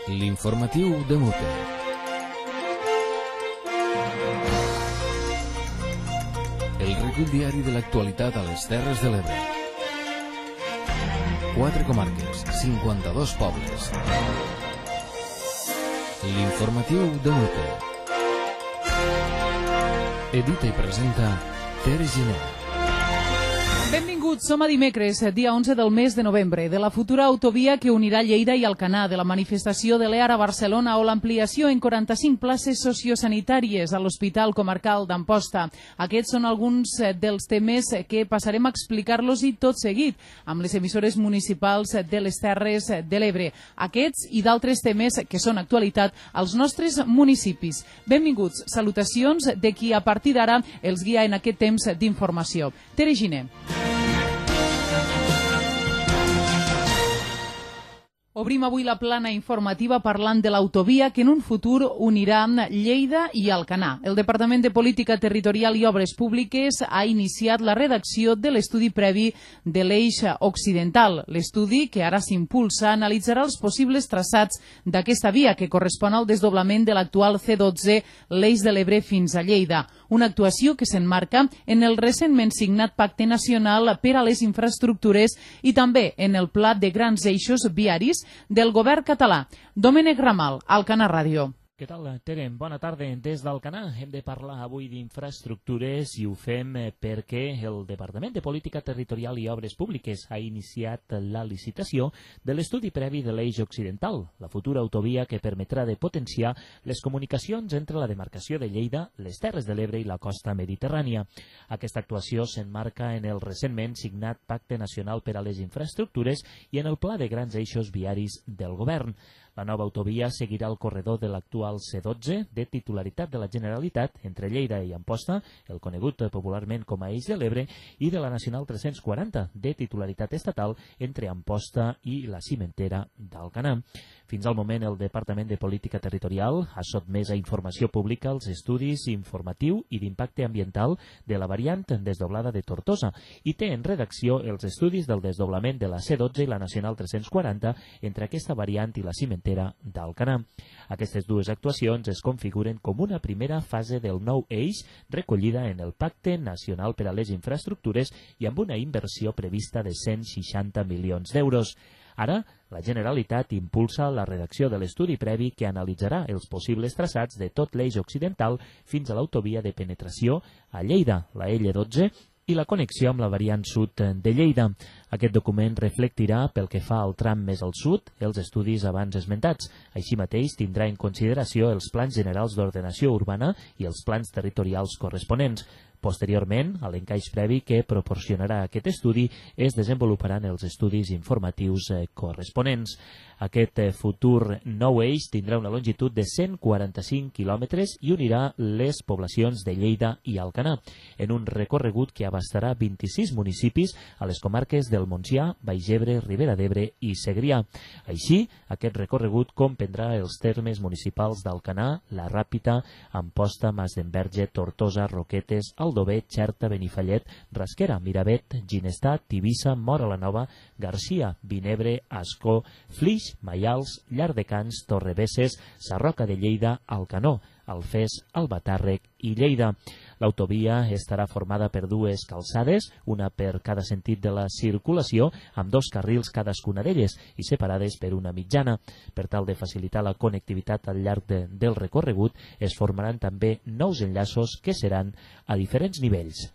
L'informatiu de Mute. El recull diari de l'actualitat a les Terres de l'Ebre. 4 comarques, 52 pobles. L'informatiu de Mute. Edita i presenta Tere Giner. Benvinguts, som a dimecres, dia 11 del mes de novembre, de la futura autovia que unirà Lleida i Alcanar, de la manifestació de l'EAR a Barcelona o l'ampliació en 45 places sociosanitàries a l'Hospital Comarcal d'Amposta. Aquests són alguns dels temes que passarem a explicar-los i tot seguit amb les emissores municipals de les Terres de l'Ebre. Aquests i d'altres temes que són actualitat als nostres municipis. Benvinguts, salutacions de qui a partir d'ara els guia en aquest temps d'informació. Tere Giner. Obrim avui la plana informativa parlant de l'autovia que en un futur unirà Lleida i Alcanar. El Departament de Política Territorial i Obres Públiques ha iniciat la redacció de l'estudi previ de l'eix occidental. L'estudi, que ara s'impulsa, analitzarà els possibles traçats d'aquesta via que correspon al desdoblament de l'actual C12, l'eix de l'Ebre fins a Lleida. Una actuació que s'emmarca en el recentment signat Pacte Nacional per a les Infraestructures i també en el Pla de Grans Eixos Viaris del govern català. Domènec Ramal, Alcanar Ràdio. Què tal, Tere? Bona tarda. Des d'Alcanar hem de parlar avui d'infraestructures i ho fem perquè el Departament de Política Territorial i Obres Públiques ha iniciat la licitació de l'estudi previ de l'eix occidental, la futura autovia que permetrà de potenciar les comunicacions entre la demarcació de Lleida, les Terres de l'Ebre i la costa mediterrània. Aquesta actuació s'emmarca en el recentment signat Pacte Nacional per a les Infraestructures i en el Pla de Grans Eixos Viaris del govern. La nova autovia seguirà el corredor de l'actual C12, de titularitat de la Generalitat, entre Lleida i Amposta, el conegut popularment com a Eix de l'Ebre, i de la Nacional 340, de titularitat estatal, entre Amposta i la Cimentera d'Alcanar. Fins al moment, el Departament de Política Territorial ha sotmès a informació pública els estudis informatiu i d'impacte ambiental de la variant desdoblada de Tortosa i té en redacció els estudis del desdoblament de la C12 i la Nacional 340 entre aquesta variant i la Cimentera d'Alcanar. Aquestes dues actuacions es configuren com una primera fase del nou eix recollida en el Pacte Nacional per a les Infraestructures i amb una inversió prevista de 160 milions d'euros. Ara, la Generalitat impulsa la redacció de l'estudi previ que analitzarà els possibles traçats de tot l'eix occidental fins a l'autovia de penetració a Lleida, la L12, i la connexió amb la variant sud de Lleida. Aquest document reflectirà, pel que fa al tram més al sud, els estudis abans esmentats. Així mateix tindrà en consideració els plans generals d'ordenació urbana i els plans territorials corresponents. Posteriorment, a l'encaix previ que proporcionarà aquest estudi, es desenvoluparan els estudis informatius corresponents. Aquest futur nou eix tindrà una longitud de 145 quilòmetres i unirà les poblacions de Lleida i Alcanar, en un recorregut que abastarà 26 municipis a les comarques del Montsià, Baix Ebre, Ribera d'Ebre i Segrià. Així, aquest recorregut comprendrà els termes municipals d'Alcanar, La Ràpita, Amposta, Masdenverge, Tortosa, Roquetes, Aldover, Xerta, Benifallet, Rasquera, Miravet, Ginestar, Tivissa, Móra la Nova, Garcia, Vinebre, Ascó, Flix, Maials, Llardecans, Torrebesses, Sarroca de Lleida, Alcanó, Alfés, Albatàrrec i Lleida. L'autovia estarà formada per dues calçades, una per cada sentit de la circulació, amb 2 carrils cadascuna d'elles i separades per una mitjana. Per tal de facilitar la connectivitat al llarg del recorregut, es formaran també nous enllaços que seran a diferents nivells.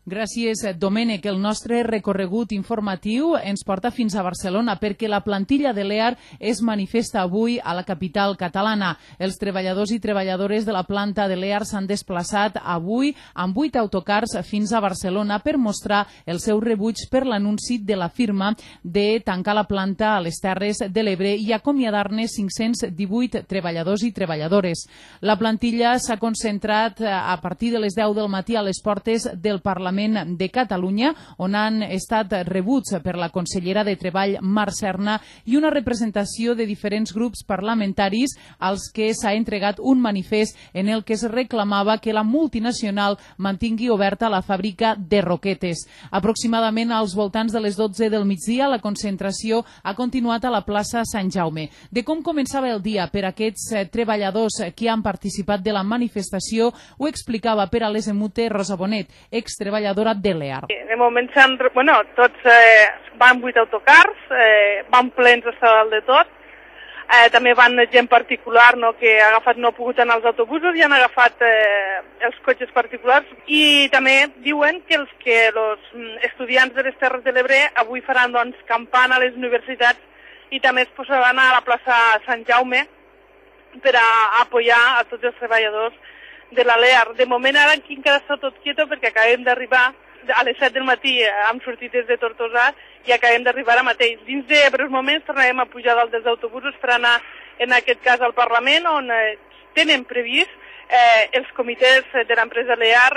Gràcies, Domènec. El nostre recorregut informatiu ens porta fins a Barcelona perquè la plantilla de l'EAR es manifesta avui a la capital catalana. Els treballadors i treballadores de la planta de l'EAR s'han desplaçat avui amb 8 autocars fins a Barcelona per mostrar el seu rebuig per l'anunci de la firma de tancar la planta a les Terres de l'Ebre i acomiadar-ne 518 treballadors i treballadores. La plantilla s'ha concentrat a partir de les 10 del matí a les portes del Parlament Parlament de Catalunya, on han estat rebuts per la consellera de Treball, Mar Serna, i una representació de diferents grups parlamentaris als que s'ha entregat un manifest en el que es reclamava que la multinacional mantingui oberta la fàbrica de Roquetes. Aproximadament als voltants de les 12 del migdia, la concentració ha continuat a la plaça Sant Jaume. De com començava el dia per aquests treballadors que han participat de la manifestació ho explicava per a l'Esemute Rosa Bonet, extreballadora de l'EAR. De moment tots van 8 autocars, van plens hasta dalt de tot. També van gent particular que ha pogut anar als autobusos i han agafat els cotxes particulars. I també diuen que els estudiants de les Terres de l'Ebre avui faran campana a les universitats i també es posaran a la plaça Sant Jaume per a apoyar a tots els treballadors de la LEAR. De moment ara aquí encara està tot quieto perquè acabem d'arribar a les 7 del matí, hem sortit des de Tortosa i acabem d'arribar ara mateix. Dins de breus moments tornarem a pujar dalt dels autobusos per anar, en aquest cas, al Parlament, on tenen previst els comitès de l'empresa LEAR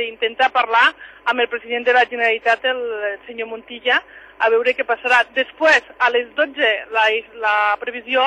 intentar parlar amb el president de la Generalitat, el senyor Montilla, a veure què passarà. Després, a les 12, la previsió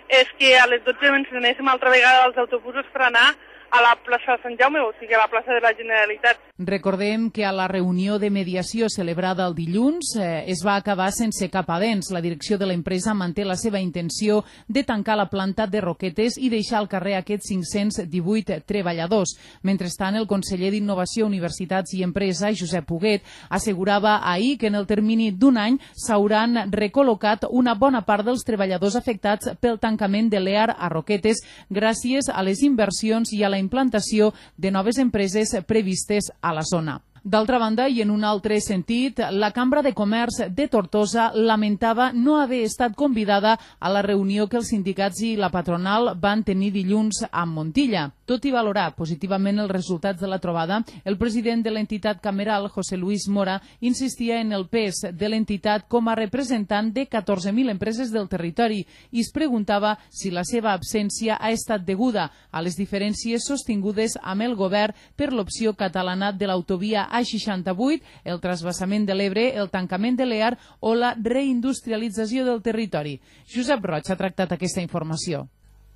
és que a les 12 ens anéssim altra vegada als autobusos per anar a la plaça Sant Jaume, o sigui, a la plaça de la Generalitat. Recordem que a la reunió de mediació celebrada el dilluns es va acabar sense cap avenç. La direcció de l'empresa manté la seva intenció de tancar la planta de Roquetes i deixar al carrer aquests 518 treballadors. Mentrestant, el conseller d'Innovació, Universitats i Empresa, Josep Huguet, assegurava ahir que en el termini d'un any s'hauran recol·locat una bona part dels treballadors afectats pel tancament de l'EAR a Roquetes gràcies a les inversions i a la implantació de noves empreses previstes a la zona. D'altra banda, i en un altre sentit, la Cambra de Comerç de Tortosa lamentava no haver estat convidada a la reunió que els sindicats i la patronal van tenir dilluns amb Montilla. Tot i valorar positivament els resultats de la trobada, el president de l'entitat cameral, José Luis Mora, insistia en el pes de l'entitat com a representant de 14.000 empreses del territori i es preguntava si la seva absència ha estat deguda a les diferències sostingudes amb el govern per l'opció catalana de l'autovia A68, el transvasament de l'Ebre, el tancament de l'EAR o la reindustrialització del territori. Josep Roig ha tractat aquesta informació.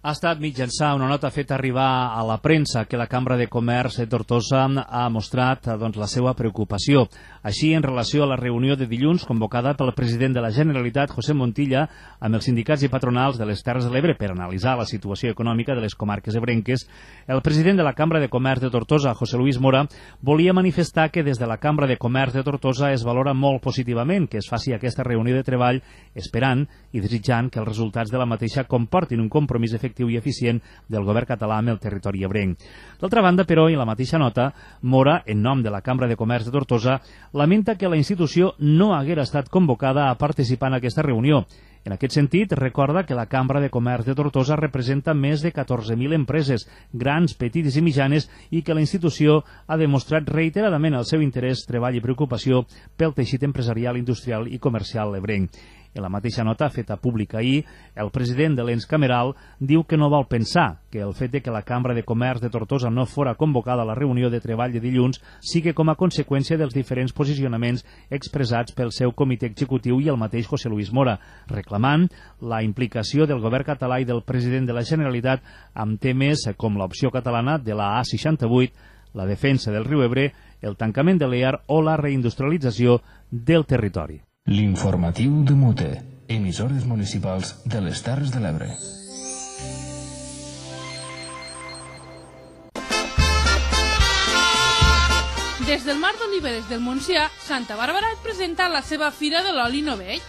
Ha estat mitjançant una nota feta arribar a la premsa que la Cambra de Comerç de Tortosa ha mostrat la seva preocupació. Així, en relació a la reunió de dilluns convocada pel president de la Generalitat, José Montilla, amb els sindicats i patronals de les Terres de l'Ebre per analitzar la situació econòmica de les comarques ebrenques, el president de la Cambra de Comerç de Tortosa, José Luis Mora, volia manifestar que des de la Cambra de Comerç de Tortosa es valora molt positivament que es faci aquesta reunió de treball, esperant i desitjant que els resultats de la mateixa comportin un compromís efectiu i eficient del govern català amb el territori ebrenc. D'altra banda, però, en la mateixa nota, Mora, en nom de la Cambra de Comerç de Tortosa, lamenta que la institució no haguera estat convocada a participar en aquesta reunió. En aquest sentit, recorda que la Cambra de Comerç de Tortosa representa més de 14.000 empreses, grans, petites i mitjanes, i que la institució ha demostrat reiteradament el seu interès, treball i preocupació pel teixit empresarial, industrial i comercial ebrenc. En la mateixa nota feta pública ahir, el president de l'ens cameral diu que no vol pensar que el fet de que la Cambra de Comerç de Tortosa no fora convocada a la reunió de treball de dilluns sigui com a conseqüència dels diferents posicionaments expressats pel seu comitè executiu i el mateix José Luis Mora, reclamant la implicació del govern català i del president de la Generalitat amb temes com l'opció catalana de la A68, la defensa del riu Ebre, el tancament de l'EAR o la reindustrialització del territori. L'informatiu de Mute, emissores municipals de les Terres de l'Ebre. Des del Mar d'Oliveres del Montsià, Santa Bàrbara et presenta la seva Fira de l'Oli Novell.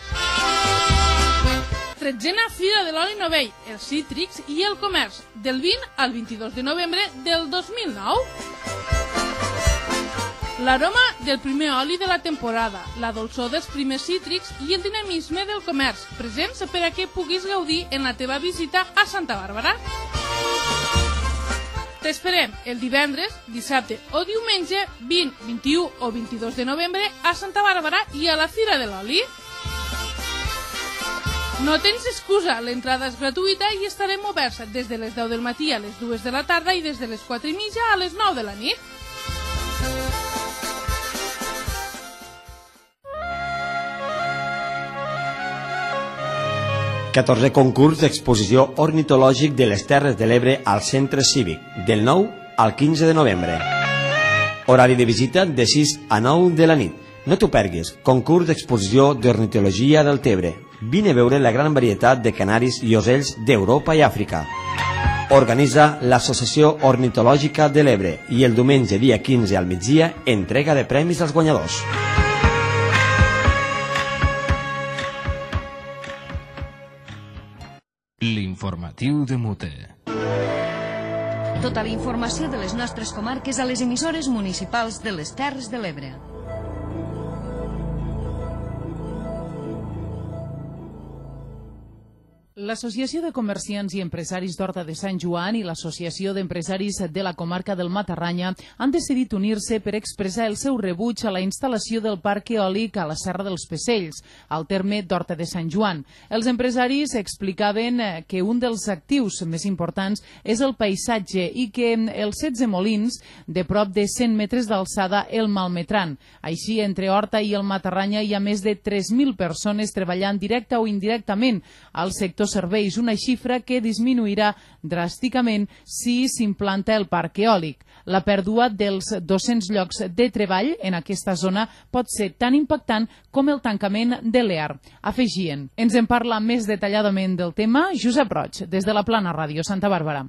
13a Fira de l'Oli Novell, els cítrics i el comerç, del 20 al 22 de novembre del 2009. L'aroma del primer oli de la temporada, la dolçor dels primers cítrics i el dinamisme del comerç, presents per a que puguis gaudir en la teva visita a Santa Bàrbara. T'esperem el divendres, dissabte o diumenge 20, 21 o 22 de novembre a Santa Bàrbara i a la Fira de l'Oli. No tens excusa, l'entrada és gratuïta i estarem oberts des de les 10 del matí a les 2 de la tarda i des de les 4:30 a les 9 de la nit. 14è concurs d'exposició ornitològic de les Terres de l'Ebre al Centre Cívic, del 9 al 15 de novembre. Horari de visita de 6 a 9 de la nit. No t'ho perguis, concurs d'exposició d'ornitologia del Tebre. Vine a veure la gran varietat de canaris i ocells d'Europa i Àfrica. Organitza l'Associació Ornitològica de l'Ebre i el diumenge dia 15 al migdia entrega de premis als guanyadors. L'informatiu de Mute. Tota la informació de les nostres comarques a les emissores municipals de les Terres de l'Ebre. L'Associació de Comerciants i Empresaris d'Horta de Sant Joan i l'Associació d'Empresaris de la Comarca del Matarranya han decidit unir-se per expressar el seu rebuig a la instal·lació del parc eòlic a la Serra dels Pecells, al terme d'Horta de Sant Joan. Els empresaris explicaven que un dels actius més importants és el paisatge i que els 16 molins de prop de 100 metres d'alçada el malmetran. Així, entre Horta i el Matarranya hi ha més de 3.000 persones treballant directa o indirectament al sector serveis, una xifra que disminuirà dràsticament si s'implanta el parc eòlic. La pèrdua dels 200 llocs de treball en aquesta zona pot ser tan impactant com el tancament de l'EAR. Afegien. Ens en parla més detalladament del tema Josep Roig, des de la Plana Ràdio Santa Bàrbara.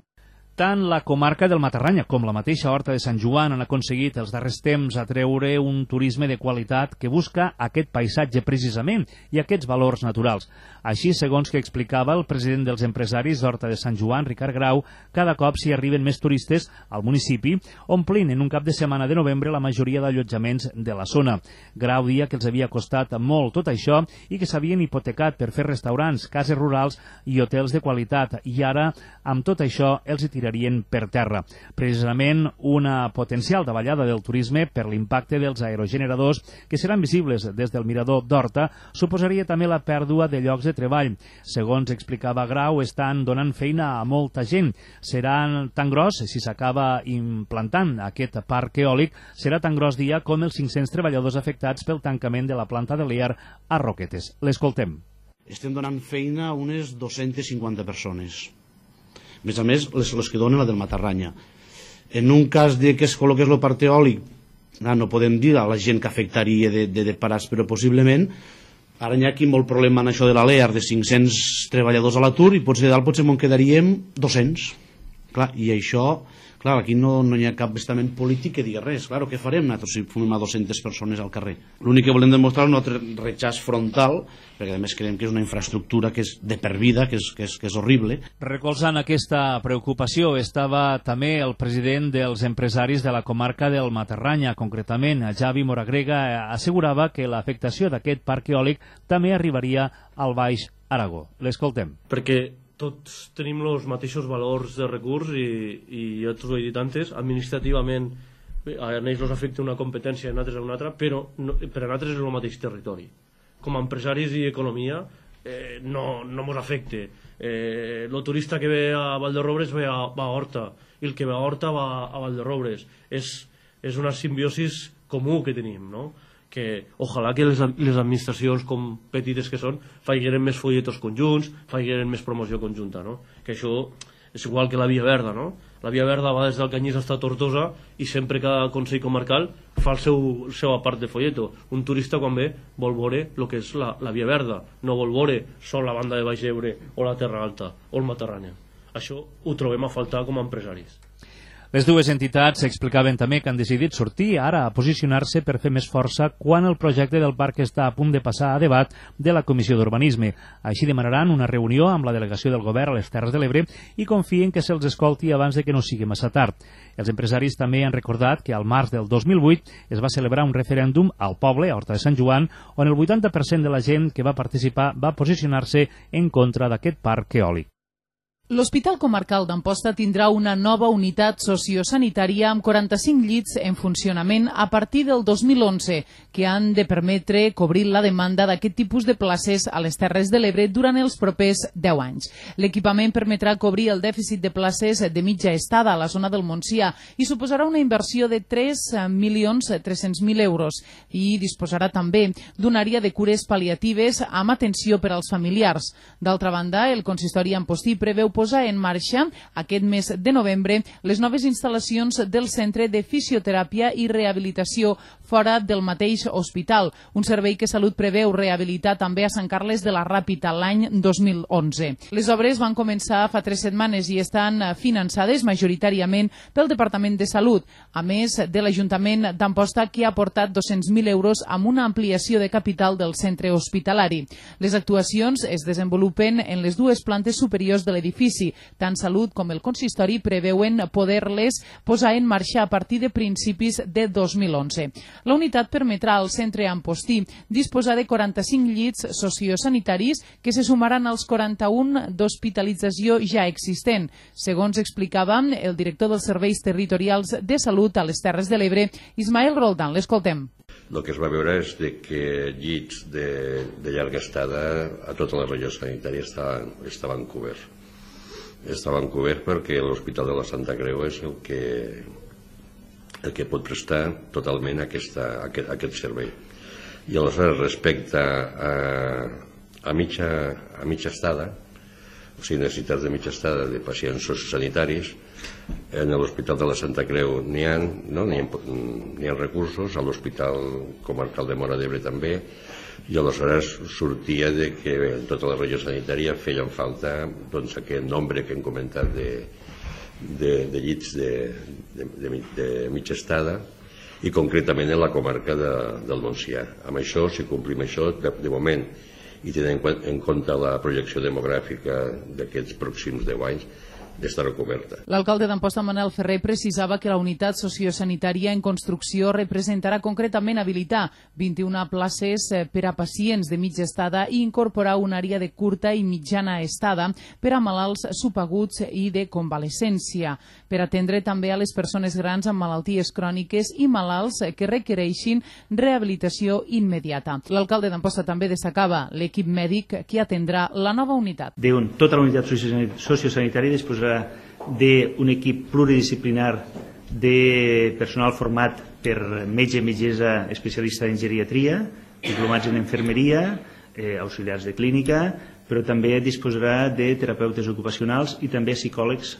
Tant la comarca del Matarranya com la mateixa Horta de Sant Joan han aconseguit els darrers temps atreure un turisme de qualitat que busca aquest paisatge precisament i aquests valors naturals. Així, segons que explicava el president dels empresaris d'Horta de Sant Joan, Ricard Grau, cada cop s'hi arriben més turistes al municipi, omplint en un cap de setmana de novembre la majoria d'allotjaments de la zona. Grau dia que els havia costat molt tot això i que s'havien hipotecat per fer restaurants, cases rurals i hotels de qualitat, i ara, amb tot això, els hi tirarien per terra. Precisament una potencial davallada del turisme per l'impacte dels aerogeneradors que seran visibles des del mirador d'Horta suposaria també la pèrdua de llocs de treball. Segons explicava Grau, estan donant feina a molta gent. Serà tan gros, si s'acaba implantant aquest parc eòlic, serà tan gros dia com els 500 treballadors afectats pel tancament de la planta de l'EAR a Roquetes. L'escoltem. Estem donant feina a unes 250 persones. A més, les que donen la del Matarranya. En un cas de que es col·loqués el parc eòlic, no podem dir a la gent que afectaria de parats, però possiblement ara hi ha aquí molt problema en això de la LEAR, de 500 treballadors a l'atur, i potser dalt potser me'n quedaríem 200. Clar, i això, clar, aquí no hi ha cap estament polític que digui res. Clar, què farem nosaltres si fumem a 200 persones al carrer? L'únic que volem demostrar és un altre rechaç frontal, perquè a més creiem que és una infraestructura que és de per vida, que és horrible. Recolzant aquesta preocupació estava també el president dels empresaris de la comarca del Matarranya, concretament Javi Moragrega, assegurava que l'afectació d'aquest parc eòlic també arribaria al Baix Aragó. L'escoltem. Perquè tots tenim els mateixos valors de recurs i ja t'ho he dit antes, administrativament a ells els afecta una competència i a nosaltres una altra, però per a nosaltres és el mateix territori. Com a empresaris i economia no ens afecta. El turista que ve a Valderrobres va a Horta i el que va a Horta va a Valderrobres. És una simbiosis comú que tenim, no? Que ojalà que les administracions com petites que són faigueren més folletos conjunts, faigueren més promoció conjunta, no? Que això és igual que la Via Verda, no? La Via Verda va des del Canyís fins a Tortosa i sempre cada Consell Comarcal fa el seu part de folleto. Un turista quan ve vol veure el que és la Via Verda, no vol veure sol la banda de Baix Ebre o la Terra Alta o el Matarranya. Això ho trobem a faltar com a empresaris. Les dues entitats explicaven també que han decidit sortir ara a posicionar-se per fer més força quan el projecte del parc està a punt de passar a debat de la Comissió d'Urbanisme. Així demanaran una reunió amb la delegació del govern a les Terres de l'Ebre i confien que se'ls escolti abans de que no sigui massa tard. Els empresaris també han recordat que al març del 2008 es va celebrar un referèndum al poble, a Horta de Sant Joan, on el 80% de la gent que va participar va posicionar-se en contra d'aquest parc eòlic. L'Hospital Comarcal d'Amposta tindrà una nova unitat sociosanitària amb 45 llits en funcionament a partir del 2011, que han de permetre cobrir la demanda d'aquest tipus de places a les Terres de l'Ebre durant els propers 10 anys. L'equipament permetrà cobrir el dèficit de places de mitja estada a la zona del Montsià i suposarà una inversió de 3.300.000 euros i disposarà també d'una àrea de cures pal·liatives amb atenció per als familiars. D'altra banda, el consistori ampostí preveu posar en marxa aquest mes de novembre les noves instal·lacions del Centre de Fisioteràpia i Rehabilitació fora del mateix hospital, un servei que Salut preveu rehabilitar també a Sant Carles de la Ràpita l'any 2011. Les obres van començar fa 3 setmanes i estan finançades majoritàriament pel Departament de Salut, a més de l'Ajuntament d'Amposta, que ha aportat 200.000 euros amb una ampliació de capital del centre hospitalari. Les actuacions es desenvolupen en les dues plantes superiors de l'edifici. Tant Salut com el consistori preveuen poder-les posar en marxa a partir de principis de 2011. La unitat permetrà al centre ampostí disposar de 45 llits sociosanitaris que se sumaran als 41 d'hospitalització ja existent, segons explicava el director dels Serveis Territorials de Salut a les Terres de l'Ebre, Ismael Roldán. L'escoltem. El que es va veure és que llits de llarga estada a tota la regió sanitària estaven coberts. Estaven coberts perquè l'Hospital de la Santa Creu és el que pot prestar totalment aquest servei. I aleshores, respecte a mitja estada, o sigui, necessitats de mitja estada de pacients sociosanitaris, en l'Hospital de la Santa Creu n'hi ha recursos, a l'Hospital Comarcal de Móra d'Ebre també, i aleshores sortia que en tota la regió sanitària feien falta aquest nombre que hem comentat de llits de mitja estada, i concretament en la comarca del Montsià. Amb això, si complim això, de moment, i tenint en compte la projecció demogràfica d'aquests pròxims 10 anys, d'estar coberta. L'alcalde d'Amposta, Manel Ferrer, precisava que la unitat sociosanitària en construcció representarà concretament habilitar 21 places per a pacients de mitja estada i incorporar una àrea de curta i mitjana estada per a malalts subaguts i de convalescència, per atendre també a les persones grans amb malalties cròniques i malalts que requereixin rehabilitació immediata. L'alcalde d'Amposta també destacava l'equip mèdic que atendrà la nova unitat. Tota la unitat sociosanitària disposarà d'un equip pluridisciplinar de personal format per metge i metgessa especialista en geriatria, diplomats en infermeria, auxiliars de clínica, però també disposarà de terapeutes ocupacionals i també psicòlegs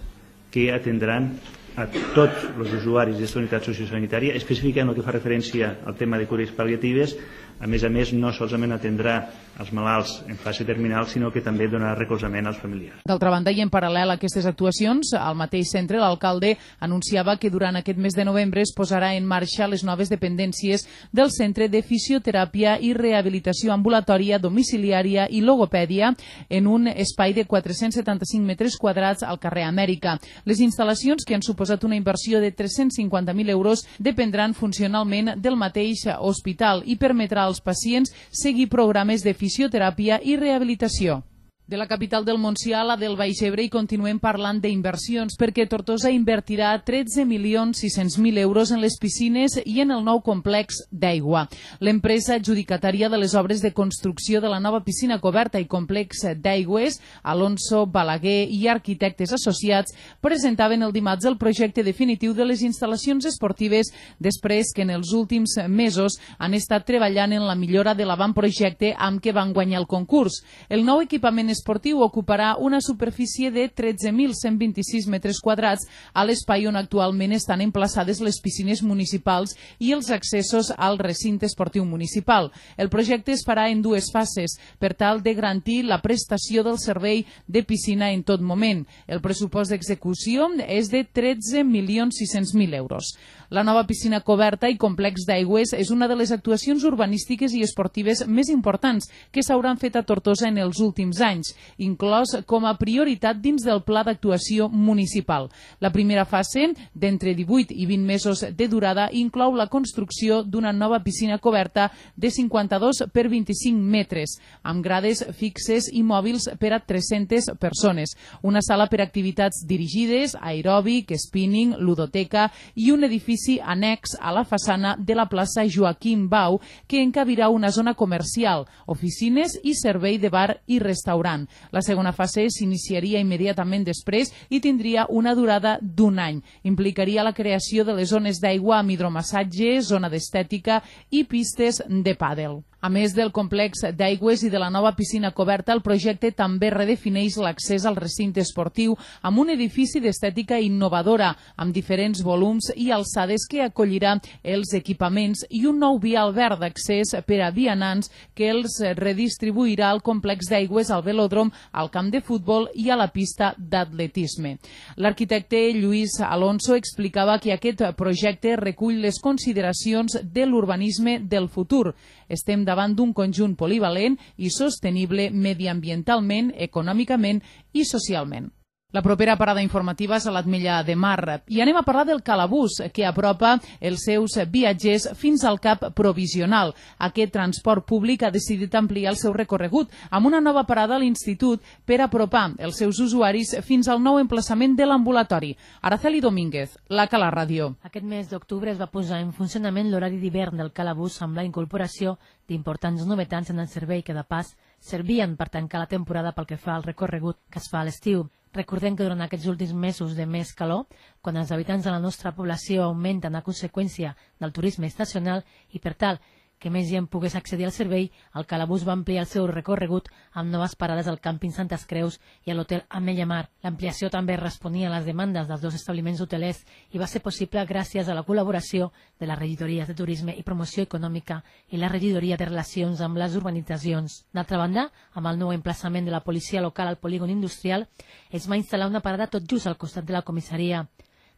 que atendran a tots els usuaris d'aquesta unitat sociosanitària, específica en el que fa referència al tema de cures pal·liatives. A més, no solament atendrà els malalts en fase terminal, sinó que també donarà recolzament als familiars. D'altra banda, i en paral·lel a aquestes actuacions, al mateix centre, l'alcalde anunciava que durant aquest mes de novembre es posarà en marxa les noves dependències del Centre de Fisioteràpia i Rehabilitació Ambulatòria, Domiciliària i Logopèdia en un espai de 475 metres quadrats al carrer Amèrica. Les instal·lacions, que han suposat una inversió de 350.000 euros, dependran funcionalment del mateix hospital i permetrà als pacients seguir programes de fisioteràpia i rehabilitació. De la capital del Montsià a la del Baix Ebre i continuem parlant d'inversions perquè Tortosa invertirà 13.600.000 euros en les piscines i en el nou complex d'aigua. L'empresa adjudicatària de les obres de construcció de la nova piscina coberta i complex d'aigües, Alonso Balaguer i Arquitectes Associats, presentaven el dimarts el projecte definitiu de les instal·lacions esportives després que en els últims mesos han estat treballant en la millora de l'avantprojecte amb què van guanyar el concurs. El nou equipament esportiu ocuparà una superfície de 13.126 metres quadrats a l'espai on actualment estan emplaçades les piscines municipals i els accessos al recinte esportiu municipal. El projecte es farà en dues fases per tal de garantir la prestació del servei de piscina en tot moment. El pressupost d'execució és de 13.600.000 euros. La nova piscina coberta i complex d'aigües és una de les actuacions urbanístiques i esportives més importants que s'hauran fet a Tortosa en els últims anys. públics, inclòs com a prioritat dins del pla d'actuació municipal. La primera fase, d'entre 18 i 20 mesos de durada, inclou la construcció d'una nova piscina coberta de 52 per 25 metres, amb grades fixes i mòbils per a 300 persones, una sala per activitats dirigides, aeròbic, spinning, ludoteca i un edifici annex a la façana de la plaça Joaquim Bau, que encabirà una zona comercial, oficines i servei de bar i restaurant. La segona fase s'iniciaria immediatament després i tindria una durada d'un any. Implicaria la creació de les zones d'aigua amb hidromassatge, zona d'estètica i pistes de pàdel. A més del complex d'aigües i de la nova piscina coberta, el projecte també redefineix l'accés al recinte esportiu amb un edifici d'estètica innovadora, amb diferents volums i alçades que acollirà els equipaments i un nou vial verd d'accés per a vianants que els redistribuirà al complex d'aigües, al velòdrom, al camp de futbol i a la pista d'atletisme. L'arquitecte Lluís Alonso explicava que aquest projecte recull les consideracions de l'urbanisme del futur. Estem davant d'un conjunt polivalent i sostenible mediambientalment, econòmicament i socialment. La propera parada informativa és a l'Ametlla de Mar i anem a parlar del Calabús, que apropa els seus viatgers fins al cap provisional. Aquest transport públic ha decidit ampliar el seu recorregut amb una nova parada a l'Institut per apropar els seus usuaris fins al nou emplaçament de l'ambulatori. Araceli Domínguez, la Cala Ràdio. Aquest mes d'octubre es va posar en funcionament l'horari d'hivern del Calabús amb la incorporació d'importants novetats en el servei que, de pas, servien per tancar la temporada pel que fa al recorregut que es fa a l'estiu. Recordem que durant aquests últims mesos de més calor, quan els habitants de la nostra població augmenten a conseqüència del turisme estacional i per tal que més gent pogués accedir al servei, el Calabús va ampliar el seu recorregut amb noves parades al càmping Santes Creus i a l'hotel Ametlla Mar. L'ampliació també responia a les demandes dels dos establiments hotelers i va ser possible gràcies a la col·laboració de les regidories de Turisme i Promoció Econòmica i la regidoria de Relacions amb les Urbanitzacions. D'altra banda, amb el nou emplaçament de la policia local al polígon industrial, es va instal·lar una parada tot just al costat de la comissaria.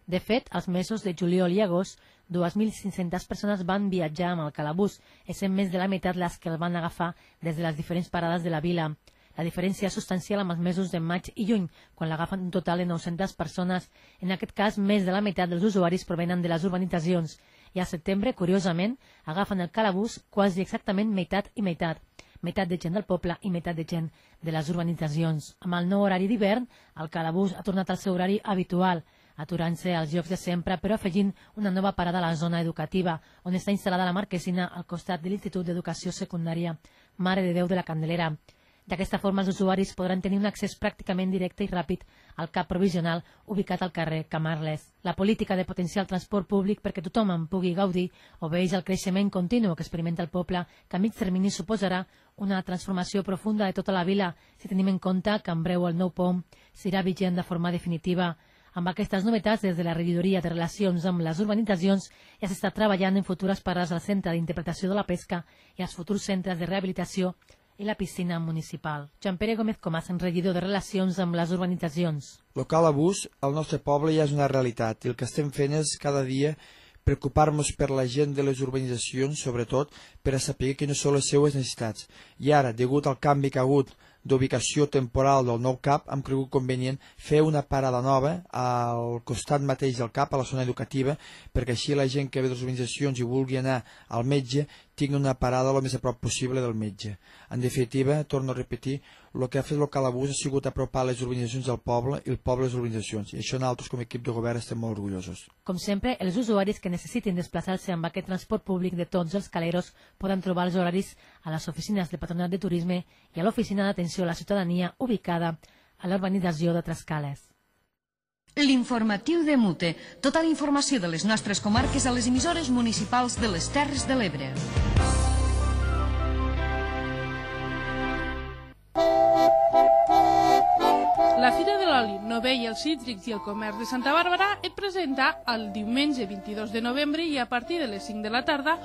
De fet, als mesos de juliol i agost, 2.500 persones van viatjar amb el Calabús, essent més de la meitat les que el van agafar des de les diferents parades de la vila. La diferència és substancial amb els mesos de maig i juny, quan l'agafen un total de 900 persones. En aquest cas, més de la meitat dels usuaris provenen de les urbanitzacions. I al setembre, curiosament, agafen el Calabús quasi exactament meitat i meitat. Meitat de gent del poble i meitat de gent de les urbanitzacions. Amb el nou horari d'hivern, el Calabús ha tornat al seu horari habitual, aturant-se als llocs de sempre, però afegint una nova parada a la zona educativa, on està instal·lada la marquesina al costat de l'Institut d'Educació Secundària Mare de Déu de la Candelera. D'aquesta forma, els usuaris podran tenir un accés pràcticament directe i ràpid al cap provisional ubicat al carrer Camarles. La política de potenciar el transport públic perquè tothom en pugui gaudir obeeix al creixement continu que experimenta el poble, que a mig termini suposarà una transformació profunda de tota la vila, si tenim en compte que en breu el nou POM serà vigent de forma definitiva. Amb aquestes novetats, des de la regidoria de Relacions amb les Urbanitzacions, ja s'està treballant en futures parades al Centre d'Interpretació de la Pesca i als futurs centres de rehabilitació i la piscina municipal. Joan Pere Gómez Comas, regidor de Relacions amb les Urbanitzacions. El Calabús al nostre poble ja és una realitat i el que estem fent és cada dia preocupar-nos per la gent de les urbanitzacions, sobretot per a saber quines són les seues necessitats. I ara, degut al canvi que ha hagut d'ubicació temporal del nou CAP, hem cregut convenient fer una parada nova al costat mateix del CAP, a la zona educativa, perquè així la gent que ve de les urbanitzacions i vulgui anar al metge tingui una parada el més a prop possible del metge. En definitiva, torno a repetir, el que ha fet el Calabús ha sigut apropar les urbanitzacions del poble i el poble les urbanitzacions, i això nosaltres com a equip de govern estem molt orgullosos. Com sempre, els usuaris que necessitin desplaçar-se amb aquest transport públic de tots els caleros poden trobar els horaris a les oficines del Patronat de Turisme i a l'Oficina d'Atenció a la Ciutadania ubicada a l'urbanització de Trascales. L'informatiu de Mute. Tota la informació de les nostres comarques a les emissores municipals de les Terres de l'Ebre. La Fira de l'Oli, Novell, els Cítrics i el Comerç de Santa Bàrbara et presenta el diumenge 22 de novembre i a partir de les 5 de la tarda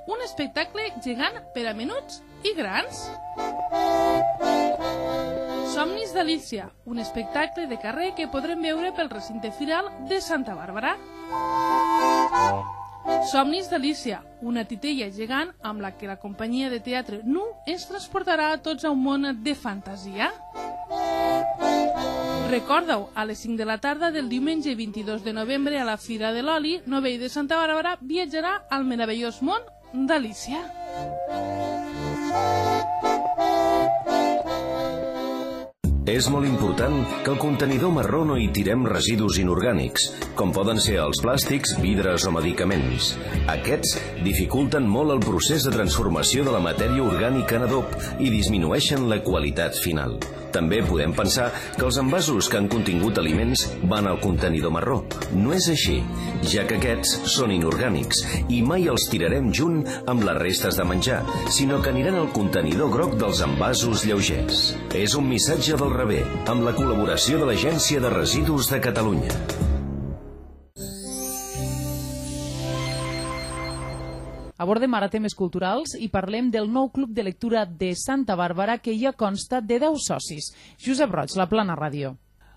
un espectacle gegant per a menuts i grans. Somnis d'Alícia, un espectacle de carrer que podrem veure pel recinte firal de Santa Bàrbara. Somnis d'Alícia, una titella gegant amb la que la companyia de teatre Nu ens transportarà a tots a un món de fantasia. Recorda-ho, a les 5 de la tarda del diumenge 22 de novembre a la Fira de l'Oli, Novell de Santa Bàrbara viatjarà al meravellós món d'Alícia. És molt important que al contenidor marró no hi tirem residus inorgànics, com poden ser els plàstics, vidres o medicaments. Aquests dificulten molt el procés de transformació de la matèria orgànica en adob i disminueixen la qualitat final. També podem pensar que els envasos que han contingut aliments van al contenidor marró. No és així, ja que aquests són inorgànics i mai els tirarem junt amb les restes de menjar, sinó que aniran al contenidor groc dels envasos lleugers. És un missatge del rebé, amb la col·laboració de l'Agència de Residus de Catalunya. Abordem ara temes culturals i parlem del nou club de lectura de Santa Bàrbara que ja consta de 10 socis. Josep Roig, La Plana Ràdio.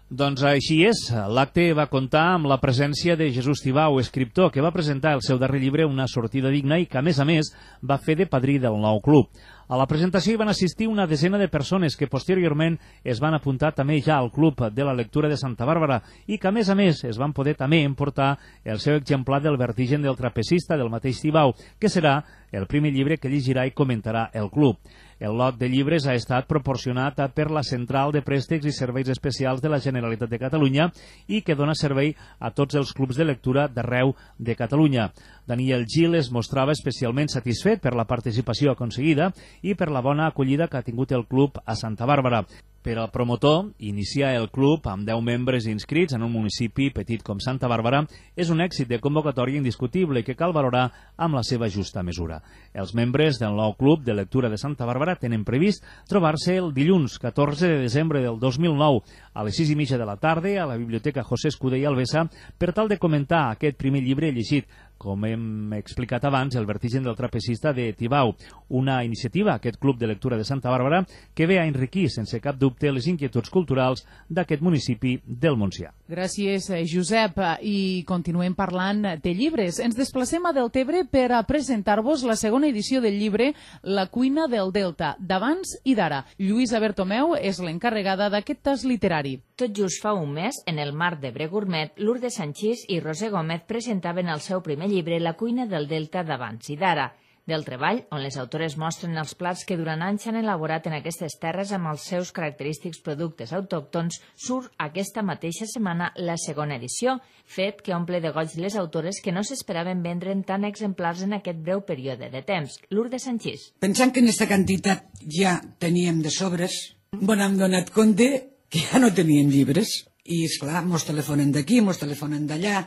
Doncs així és. L'acte va comptar amb la presència de Jesús Tibau, escriptor, que va presentar el seu darrer llibre Una sortida digna i que, a més, va fer de padrí del nou club. A la presentació hi van assistir una desena de persones que posteriorment es van apuntar també ja al Club de la Lectura de Santa Bàrbara i que, a més, es van poder també emportar el seu exemplar del Vertigen del trapecista del mateix Tibau, que serà el primer llibre que llegirà i comentarà el club. El lot de llibres ha estat proporcionat per la Central de Préstecs i Serveis Especials de la Generalitat de Catalunya i que dona servei a tots els clubs de lectura d'arreu de Catalunya. Daniel Gil es mostrava especialment satisfet per la participació aconseguida i per la bona acollida que ha tingut el club a Santa Bàrbara. Per al promotor, iniciar el club amb 10 membres inscrits en un municipi petit com Santa Bàrbara és un èxit de convocatòria indiscutible que cal valorar amb la seva justa mesura. Els membres del nou club de lectura de Santa Bàrbara tenen previst trobar-se el dilluns 14 de desembre del 2009 a les 6:30 de la tarda a la Biblioteca José Escudé i Albesa per tal de comentar aquest primer llibre llegit, com hem explicat abans, El Vertigen del trapecista de Tibau, una iniciativa, aquest club de lectura de Santa Bàrbara, que ve a enriquir sense cap dubte les inquietuds culturals d'aquest municipi del Montsià. Gràcies, Josep. I continuem parlant de llibres. Ens desplacem a Deltebre per a presentar-vos la segona edició del llibre La cuina del Delta, d'abans i d'ara. Lluïsa Bertomeu és l'encarregada d'aquest tas literari. Tot just fa un mes, en el marc de Bre Gourmet, Lourdes Sanchís i Roser Gómez presentaven el seu primer llibre La cuina del Delta d'abans i d'ara. Del treball, on les autores mostren els plats que durant anys han elaborat en aquestes terres amb els seus característics productes autòctons, surt aquesta mateixa setmana la segona edició, fet que omple de goig les autores que no s'esperaven vendre'n tant exemplars en aquest breu període de temps. Lourdes Sanchís. Pensant que en aquesta quantitat ja teníem de sobres, hem donat compte que ja no tenien llibres. I, esclar, mos telefonen d'aquí, mos telefonen d'allà,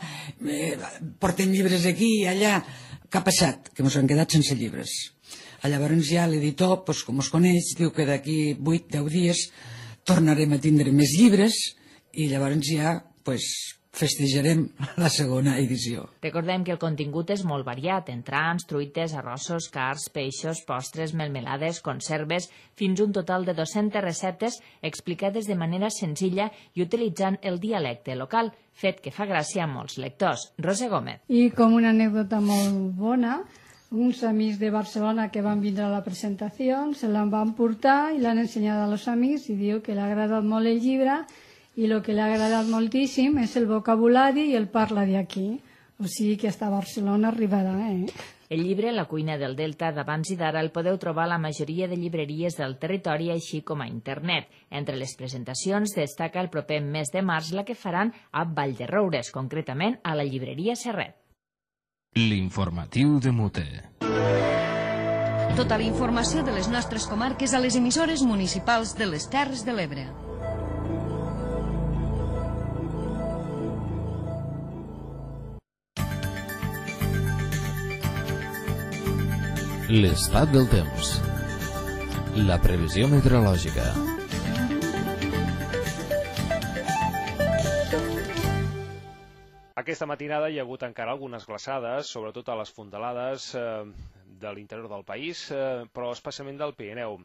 porten llibres aquí i allà. Què ha passat? Que mos han quedat sense llibres. Llavors ja l'editor, com us coneix, diu que d'aquí 8-10 dies tornarem a tindre més llibres i llavors ja festejarem la segona edició. Recordem que el contingut és molt variat, entrants, truites, arrossos, cards, peixos, postres, melmelades, conserves, fins un total de 200 receptes explicades de manera senzilla i utilitzant el dialecte local, fet que fa gràcia a molts lectors. Roser Gómez. I com una anècdota molt bona, uns amics de Barcelona que van vindre a la presentació se l'han van portar i l'han ensenyat als amics i diu que l'ha agradat molt el llibre i el que l'ha agradat moltíssim és el vocabulari i el parla d'aquí. O sigui que hasta Barcelona arribarà, El llibre La cuina del Delta d'abans i d'ara el podeu trobar a la majoria de llibreries del territori, així com a internet. Entre les presentacions destaca el proper mes de març la que faran a Vallderoures, concretament a la llibreria Serret. L'informatiu de Mute. Tota la informació de les nostres comarques a les emissores municipals de les Terres de l'Ebre. L'estat del temps. La previsió meteorològica. Aquesta matinada hi ha hagut encara algunes glaçades, sobretot a les fondalades de l'interior del país, però especialment del Pirineu.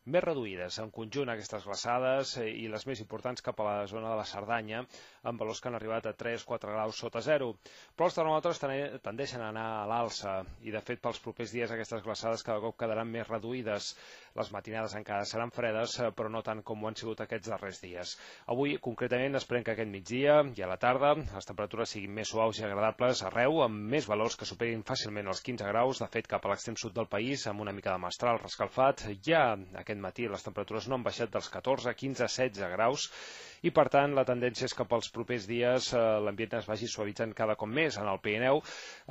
més reduïdes. En conjunt, aquestes glaçades i les més importants cap a la zona de la Cerdanya, amb valors que han arribat a 3-4 graus sota zero. Però els termòmetres tendeixen a anar a l'alça i, de fet, pels propers dies aquestes glaçades cada cop quedaran més reduïdes. Les matinades encara seran fredes, però no tant com ho han sigut aquests darrers dies. Avui, concretament, esperem que aquest migdia i a la tarda les temperatures siguin més suaus i agradables arreu, amb més valors que superin fàcilment els 15 graus. De fet, cap a l'extrem sud del país, amb una mica de mestral rescalfat, ja aquest matí les temperatures no han baixat dels 14, 15, 16 graus, i per tant la tendència és que pels propers dies l'ambient es vagi suavitzant cada cop més. En el Pirineu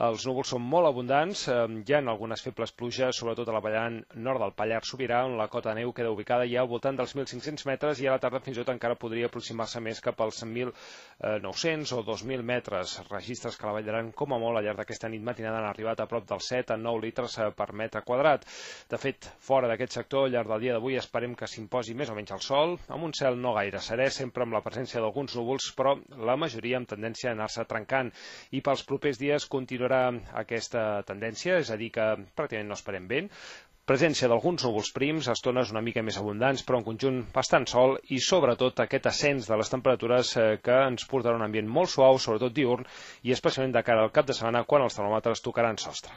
els núvols són molt abundants, hi ha algunes febles pluges, sobretot a la vall nord del Pallars Sobirà, on la cota de neu queda ubicada ja al voltant dels 1.500 metres i a la tarda fins i tot encara podria aproximar-se més cap als 1.900 o 2.000 metres. Registres que a la Vall d'Aran, com a molt, al llarg d'aquesta nit matinada han arribat a prop dels 7 a 9 litres per metre quadrat. De fet, fora d'aquest sector, al llarg del dia d'avui esperem que s'imposi més o menys el sol, amb un cel no gaire serè, sempre amb la presència d'alguns núvols, però la majoria amb tendència a anar-se trencant. I pels propers dies continuarà aquesta tendència, és a dir, que pràcticament no esperem vent, presència d'alguns núvols prims, estones una mica més abundants, però en conjunt bastant sol, i sobretot aquest ascens de les temperatures que ens portarà un ambient molt suau, sobretot diürn, i especialment de cara al cap de setmana, quan els termòmetres tocaran sostre.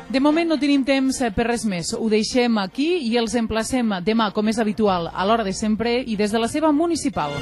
De moment no tenim temps per res més. Ho deixem aquí i els emplacem demà, com és habitual, a l'hora de sempre i des de la seva municipal.